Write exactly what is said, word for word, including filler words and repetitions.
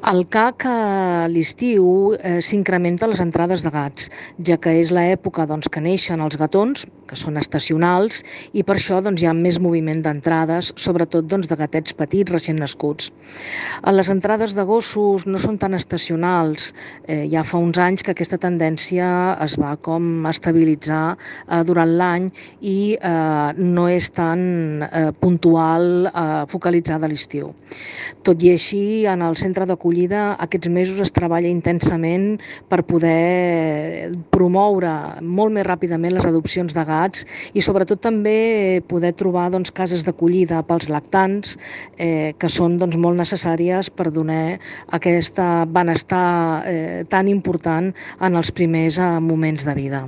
Al C A C a l'estiu eh, s'incrementen les entrades de gats, ja que és l'època doncs, que neixen els gatons, que són estacionals, i per això doncs, hi ha més moviment d'entrades, sobretot doncs, de gatets petits recent nascuts. Eh, Les entrades de gossos no són tan estacionals, eh, ja fa uns anys que aquesta tendència es va com estabilitzar eh, durant l'any i eh, no és tan eh, puntual, eh, focalitzada a l'estiu. Tot i així, en el centre d'acollida aquests mesos es treballa intensament per poder promoure molt més ràpidament les adopcions de gats i sobretot també poder trobar doncs, cases d'acollida pels lactants eh, que són doncs, molt necessàries per donar aquest benestar eh, tan important en els primers eh, moments de vida.